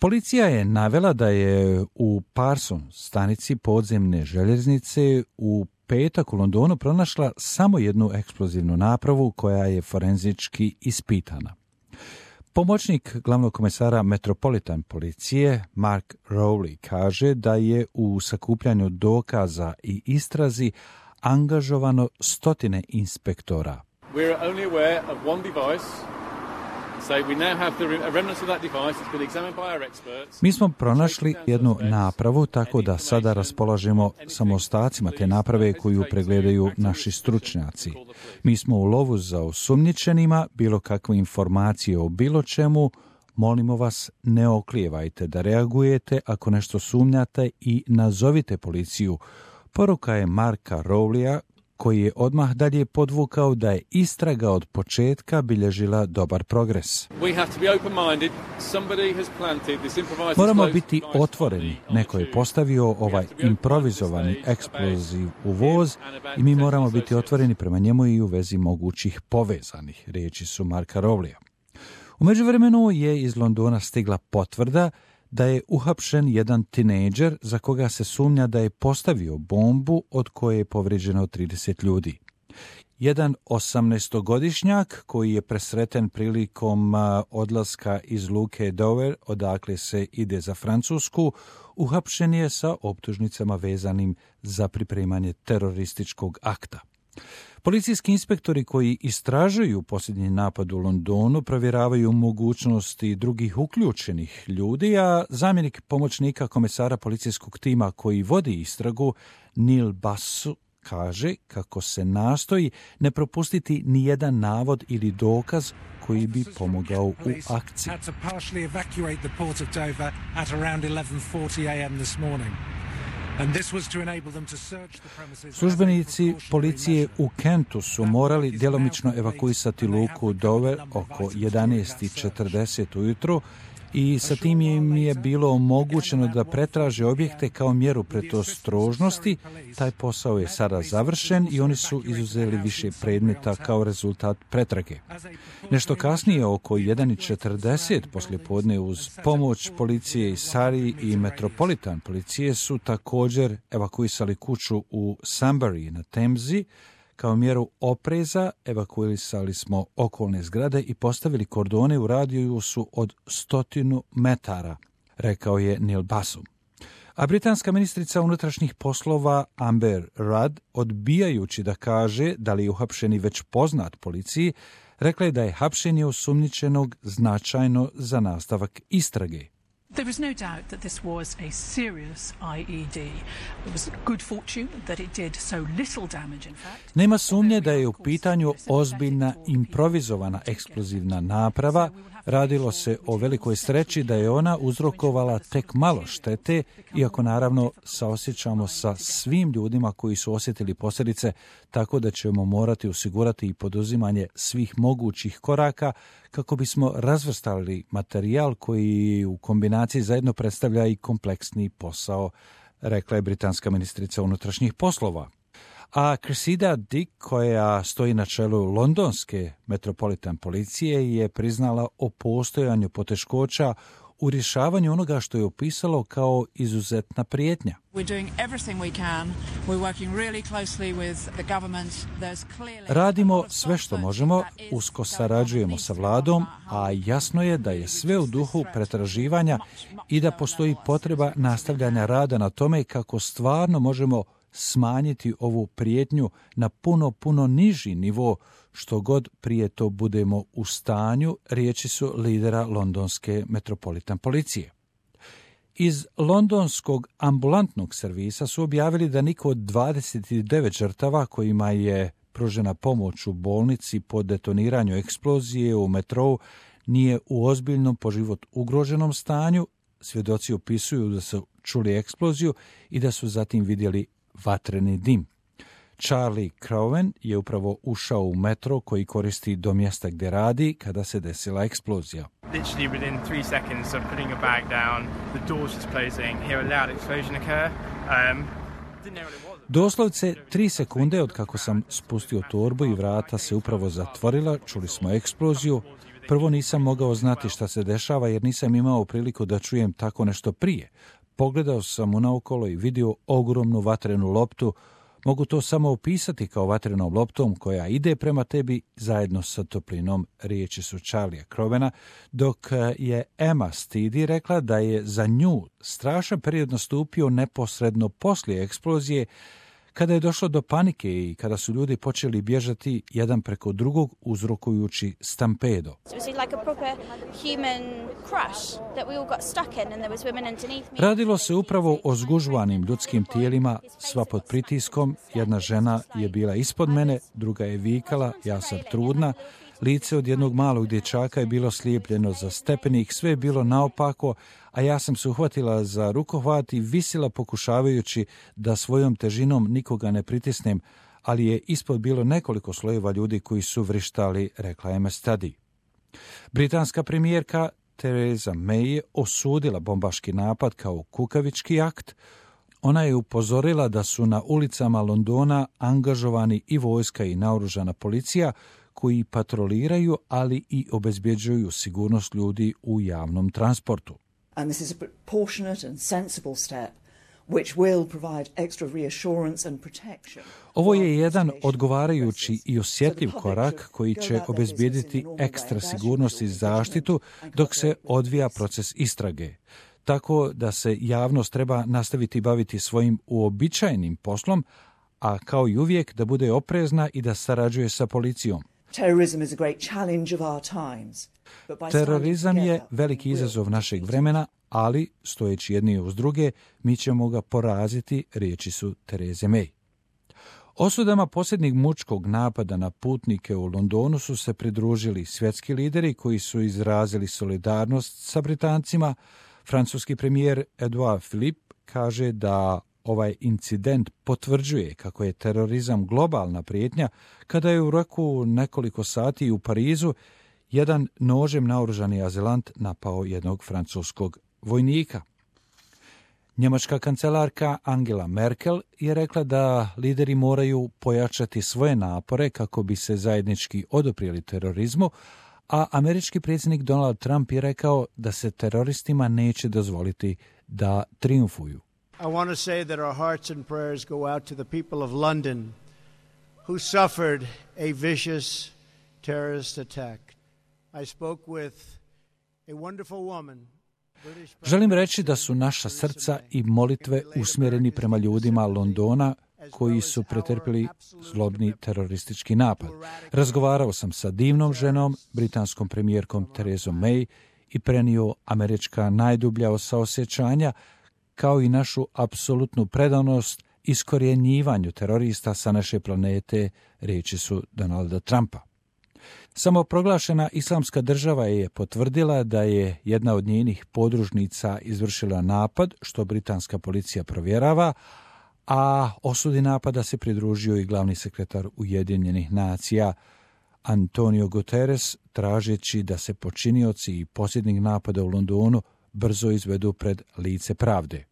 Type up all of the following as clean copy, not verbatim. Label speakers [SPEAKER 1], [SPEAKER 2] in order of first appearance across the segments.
[SPEAKER 1] Policija je navela da je u Parson stanici podzemne željeznice u petak u Londonu pronašla samo jednu eksplozivnu napravu koja je forenzički ispitana. Pomoćnik glavnog komesara Metropolitan policije Mark Rowley kaže da je u sakupljanju dokaza i istrazi angažovano stotine inspektora.
[SPEAKER 2] We're only aware of one device. So we now have the remnants of that device. It's been examined by our experts.
[SPEAKER 1] Mi smo pronašli jednu napravu, tako da sada raspolažemo samo ostacima te naprave koju pregledaju naši stručnjaci. Mi smo u lovu za osumnjičenima, bilo kakve informacije o bilo čemu. Molimo vas, ne oklijevajte da reagujete ako nešto sumnjate i nazovite policiju. Poruka je Marka Rowleya, koji je odmah dalje podvukao da je istraga od početka bilježila dobar progres. Moramo biti otvoreni. Neko je postavio ovaj improvizovani eksploziv u voz i mi moramo biti otvoreni prema njemu i u vezi mogućih povezanih, riječi su Marka Rowleya. U međuvremenu je iz Londona stigla potvrda da je uhapšen jedan tinejdžer za koga se sumnja da je postavio bombu od koje je povrijeđeno 30 ljudi. Jedan 18-godišnjak koji je presreten prilikom odlaska iz luke Dover, odakle se ide za Francusku, uhapšen je sa optužnicama vezanim za pripremanje terorističkog akta. Policijski inspektori koji istražuju posljednji napad u Londonu provjeravaju mogućnosti drugih uključenih ljudi, a zamjenik pomoćnika komesara policijskog tima koji vodi istragu, Neil Basu, kaže kako se nastoji ne propustiti ni jedan navod ili dokaz koji bi pomogao u akciji. Službenici policije u Kentu su morali djelomično evakuisati luku Dover oko 11:40 ujutro i sa tim im je bilo omogućeno da pretraže objekte kao mjeru predostrožnosti. Taj posao je sada završen i oni su izuzeli više predmeta kao rezultat pretrage. Nešto kasnije, oko 1:40 poslijepodne, uz pomoć policije iz Surrey i Metropolitan policije su također evakuisali kuću u Sunbury na Temzi. Kao mjeru opreza evakuisali smo okolne zgrade i postavili kordone u radijusu od 100 metara, rekao je Neil Basu. A britanska ministrica unutrašnjih poslova Amber Rudd, odbijajući da kaže da li je uhapšeni već poznat policiji, rekla je da je hapšenje osumnjičenog značajno za nastavak istrage.
[SPEAKER 3] There is no doubt that this was a serious IED. It was good fortune that it did so little damage, in fact.
[SPEAKER 1] Nema sumnje da je u pitanju ozbiljna improvizovana eksplozivna naprava. Radilo se o velikoj sreći da je ona uzrokovala tek malo štete, iako naravno saosjećamo sa svim ljudima koji su osjetili posljedice, tako da ćemo morati osigurati i poduzimanje svih mogućih koraka kako bismo razvrstali materijal koji u kombinaciji zajedno predstavlja i kompleksni posao, rekla je britanska ministrica unutrašnjih poslova. A Cressida Dick, koja stoji na čelu londonske Metropolitan policije, je priznala o postojanju poteškoća u rješavanju onoga što je opisalo kao izuzetna prijetnja. Radimo sve što možemo, usko sarađujemo sa vladom, a jasno je da je sve u duhu pretraživanja i da postoji potreba nastavljanja rada na tome kako stvarno možemo smanjiti ovu prijetnju na puno niži nivo, što god prije to budemo u stanju, riječi su lidera londonske Metropolitan policije. Iz londonskog ambulantnog servisa su objavili da niko od 29 žrtava kojima je pružena pomoć u bolnici po detoniranju eksplozije u metrou nije u ozbiljnom po život ugroženom stanju. Svjedoci opisuju da su čuli eksploziju i da su zatim vidjeli vatreni dim. Charlie Crowen je upravo ušao u metro koji koristi do mjesta gdje radi kada se desila eksplozija.
[SPEAKER 4] Literally within 3 seconds of putting a bag down, the doors just closing, hear a loud explosion occur.
[SPEAKER 1] Doslovce 3 sekunde od kako sam spustio torbu i vrata se upravo zatvorila, čuli smo eksploziju. Prvo nisam mogao znati šta se dešava jer nisam imao priliku da čujem tako nešto prije. Pogledao sam unaokolo i vidio ogromnu vatrenu loptu. Mogu to samo opisati kao vatrenom loptom koja ide prema tebi zajedno sa toplinom, riječi su Charlie'a Crowena, dok je Emma Steedy rekla da je za nju strašan period nastupio neposredno poslije eksplozije, kada je došlo do panike i kada su ljudi počeli bježati jedan preko drugog uzrokujući stampedo. Radilo se upravo o zgužvanim ljudskim tijelima, sva pod pritiskom. Jedna žena je bila ispod mene, druga je vikala, ja sam trudna. Lice od jednog malog dječaka je bilo slijepljeno za stepenik, sve je bilo naopako, a ja sam se uhvatila za rukohvat i visila pokušavajući da svojom težinom nikoga ne pritisnem, ali je ispod bilo nekoliko slojeva ljudi koji su vrištali, rekla Emma Steedy. Britanska premijerka Theresa May je osudila bombaški napad kao kukavički akt. Ona je upozorila da su na ulicama Londona angažovani i vojska i naoružana policija koji patroliraju, ali i obezbjeđuju sigurnost ljudi u javnom transportu.
[SPEAKER 5] And this is a proportionate and sensible step which will provide extra reassurance and protection.
[SPEAKER 1] Ovo je jedan odgovarajući i osjetljiv korak koji će obezbijediti ekstra sigurnost i zaštitu dok se odvija proces istrage. Tako da se javnost treba nastaviti baviti svojim uobičajenim poslom, a kao i uvijek da bude oprezna i da sarađuje sa policijom. Terorizam je veliki izazov našeg vremena, ali, stojeći jedni uz druge, mi ćemo ga poraziti, riječi su Therese May. Osudama posljednjeg mučkog napada na putnike u Londonu su se pridružili svjetski lideri koji su izrazili solidarnost sa Britancima. Francuski premijer Edouard Philippe kaže da ovaj incident potvrđuje kako je terorizam globalna prijetnja kada je u roku nekoliko sati u Parizu jedan nožem naoružani azilant napao jednog francuskog vojnika. Njemačka kancelarka Angela Merkel je rekla da lideri moraju pojačati svoje napore kako bi se zajednički oduprijeli terorizmu, a američki predsjednik Donald Trump je rekao da se teroristima neće dozvoliti da triumfuju.
[SPEAKER 6] I want to say that our hearts and prayers go out to the people of London who suffered a vicious terrorist attack. I spoke with a wonderful woman.
[SPEAKER 1] Želim reći da su naša srca i molitve usmjereni prema ljudima Londona koji su pretrpjeli zlobni teroristički napad. Razgovarao sam sa divnom ženom, britanskom premijerkom Theresom May i prenio američka najdublja saosjećanja kao i našu apsolutnu predanost iskorjenjivanju terorista sa naše planete, riječi su Donalda Trumpa. Samoproglašena islamska država je potvrdila da je jedna od njenih podružnica izvršila napad, što britanska policija provjerava, a osudi napada se pridružio i glavni sekretar Ujedinjenih nacija Antonio Guterres, tražeći da se počinioci i posljednjih napada u Londonu brzo izvedu pred lice pravde.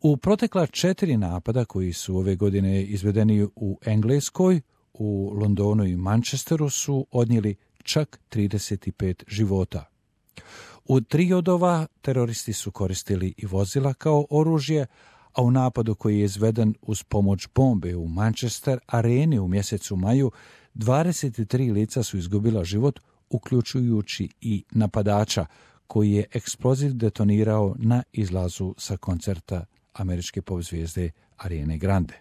[SPEAKER 1] U protekla 4 napada koji su ove godine izvedeni u Engleskoj, u Londonu i Manchesteru su odnijeli čak 35 života. U 3 od ova teroristi su koristili i vozila kao oružje, a u napadu koji je izveden uz pomoć bombe u Manchester areni u mjesecu maju 23 lica su izgubila život, uključujući i napadača koji je eksploziv detonirao na izlazu sa koncerta američke pop zvijezde Ariane Grande.